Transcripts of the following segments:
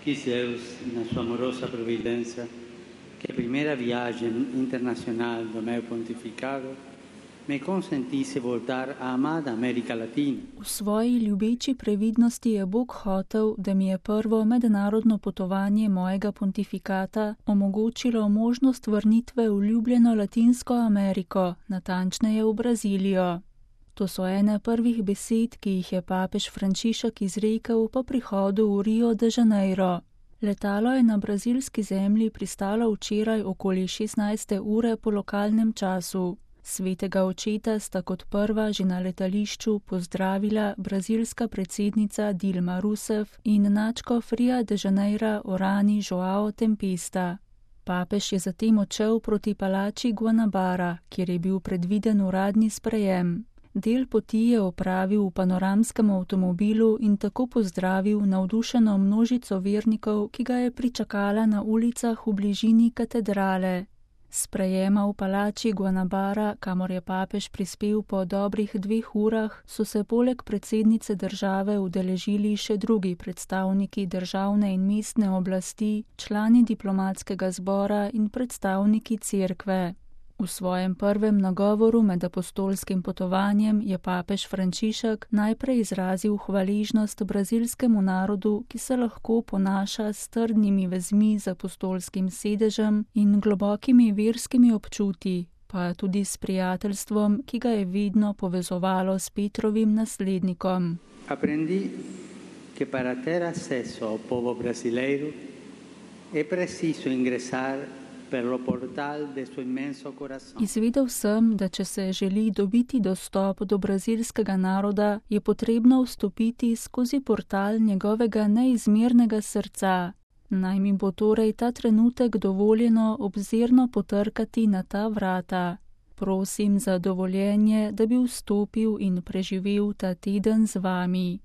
Quis Deus, na sua amorosa providência, que a primeira viagem internacional do meu pontificado me consentisse voltar a amada Amerika Latina. V svoji ljubeči previdnosti je Bog hotel, da mi je prvo mednarodno potovanje mojega pontifikata omogočilo možnost vrnitve v ljubljeno Latinsko Ameriko, natančneje v Brazilijo. To so ene prvih besed, ki jih je papež Frančišek izrekel po prihodu v Rio de Janeiro. Letalo je na brazilski zemlji pristalo včeraj okoli 16. ure po lokalnem času. Svetega očeta sta kot prva že na letališču pozdravila brazilska predsednica Dilma Rousseff in nadškof Ria de Janeira Orani Joao Tempesta. Papež je zatem odšel proti palači Guanabara, kjer je bil predviden uradni sprejem. Del poti je opravil v panoramskem avtomobilu in tako pozdravil navdušeno množico vernikov, ki ga je pričakala na ulicah v bližini katedrale. Sprejema v palači Guanabara, kamor je papež prispel po dobrih 2 urah, so se poleg predsednice države udeležili še drugi predstavniki državne in mestne oblasti, člani diplomatskega zbora in predstavniki cerkve. V svojem prvem nagovoru med apostolskim potovanjem je papež Frančišek najprej izrazil hvaležnost brazilskemu narodu, ki se lahko ponaša s trdnimi vezmi z apostolskim sedežem in globokimi verskimi občuti, pa tudi s prijateljstvom, ki ga je vedno povezovalo s Petrovim naslednikom. Aprendi che para ter accesso ao povo brasileiro é preciso ingressar Izvedel sem, da če se želi dobiti dostop do brazilskega naroda, je potrebno vstopiti skozi portal njegovega neizmernega srca. Naj mi bo torej ta trenutek dovoljeno obzirno potrkati na ta vrata. Prosim za dovoljenje, da bi vstopil in preživel ta teden z vami.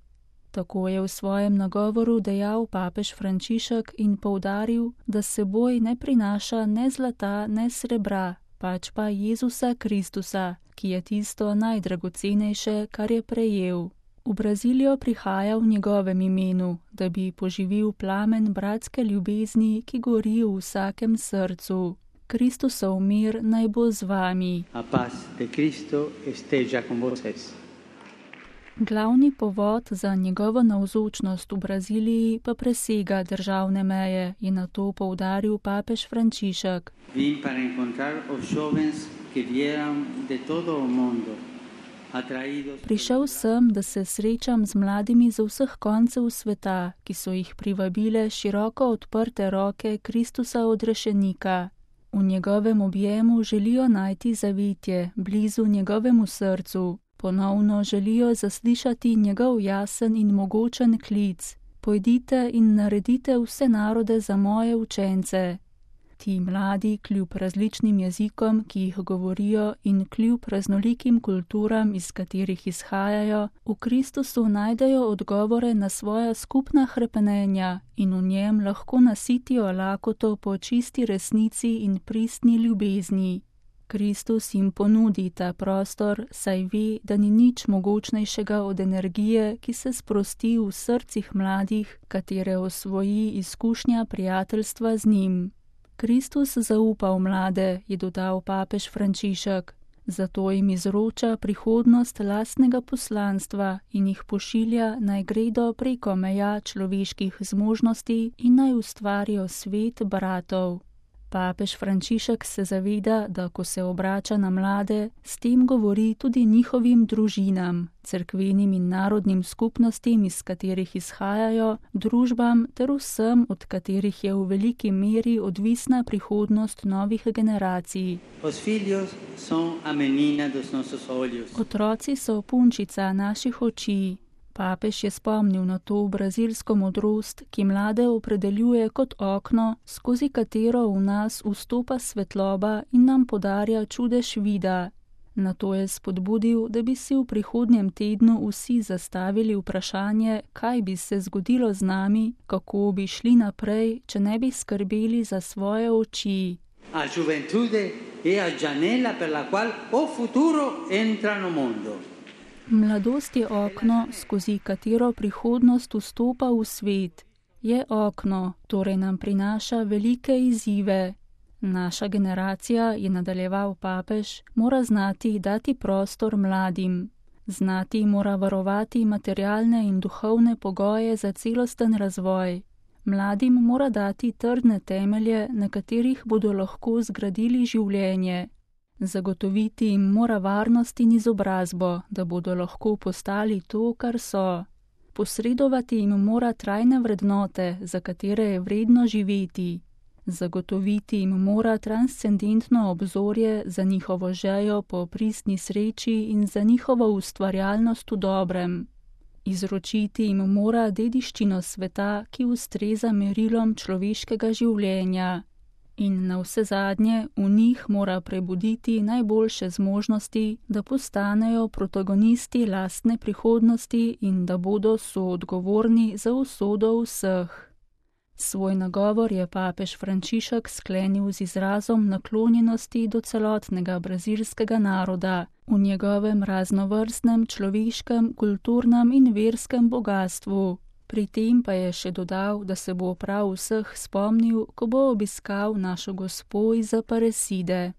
Tako je v svojem nagovoru dejal papež Frančišek in poudaril, da s seboj ne prinaša ne zlata, ne srebra, pač pa Jezusa Kristusa, ki je tisto najdragocenejše, kar je prejel. V Brazilijo prihaja v njegovem imenu, da bi poživil plamen bratske ljubezni, ki gori v vsakem srcu. Kristusov mir naj bo z vami. A paz de Cristo esteja con vosotros. Glavni povod za njegovo navzočnost v Braziliji pa presega državne meje, je na to poudaril papež Frančišek. Vim para encontrar os jovens que vieram de todo o mundo. Prišel sem, da se srečam z mladimi z vseh koncev sveta, ki so jih privabile široko odprte roke Kristusa odrešenika. V njegovem objemu želijo najti zavetje, blizu njegovemu srcu. Ponovno želijo zaslišati njegov jasen in mogočen klic. Pojdite in naredite vse narode za moje učence. Ti mladi, kljub različnim jezikom, ki jih govorijo, in kljub raznolikim kulturam, iz katerih izhajajo, v Kristusu najdejo odgovore na svoja skupna hrepenenja in v njem lahko nasitijo lakoto po čisti resnici in pristni ljubezni. Kristus jim ponudi ta prostor, saj ve, da ni nič mogočnejšega od energije, ki se sprosti v srcih mladih, katere osvoji izkušnja prijateljstva z njim. Kristus zaupa v mlade, je dodal papež Frančišek, zato jim izroča prihodnost lastnega poslanstva in jih pošilja, naj gredo preko meja človeških zmožnosti in naj ustvarijo svet bratov. Papež Frančišek se zaveda, da ko se obrača na mlade, s tem govori tudi njihovim družinam, cerkvenim in narodnim skupnostim, iz katerih izhajajo, družbam ter vsem, od katerih je v veliki meri odvisna prihodnost novih generacij. Otroci so punčica naših oči. Papež je spomnil na to brazilsko modrost, ki mlade opredeljuje kot okno, skozi katero v nas vstopa svetloba in nam podarja čudež vida. Na to je spodbudil, da bi si v prihodnjem tednu vsi zastavili vprašanje, kaj bi se zgodilo z nami, kako bi šli naprej, če ne bi skrbeli za svoje oči. A juventude è a janela per la qual o futuro entra no mondo. Mladost je okno, skozi katero prihodnost vstopa v svet. Je okno, torej nam prinaša velike izzive. Naša generacija, je nadaljeval papež, mora znati dati prostor mladim. Znati mora varovati materialne in duhovne pogoje za celosten razvoj. Mladim mora dati trdne temelje, na katerih bodo lahko zgradili življenje. Zagotoviti jim mora varnost in izobrazbo, da bodo lahko postali to, kar so. Posredovati jim mora trajne vrednote, za katere je vredno živeti. Zagotoviti jim mora transcendentno obzorje za njihovo željo po pristni sreči in za njihovo ustvarjalnost v dobrem. Izročiti jim mora dediščino sveta, ki ustreza merilom človeškega življenja. In navsezadnje v njih mora prebuditi najboljše zmožnosti, da postanejo protagonisti lastne prihodnosti in da bodo soodgovorni za usodo vseh. Svoj nagovor je papež Frančišek sklenil z izrazom naklonjenosti do celotnega brazilskega naroda, v njegovem raznovrstnem človeškem, kulturnem in verskem bogastvu. Pri tem pa je še dodal, da se bo prav vseh spomnil, ko bo obiskal našo Gospo iz Aparecide.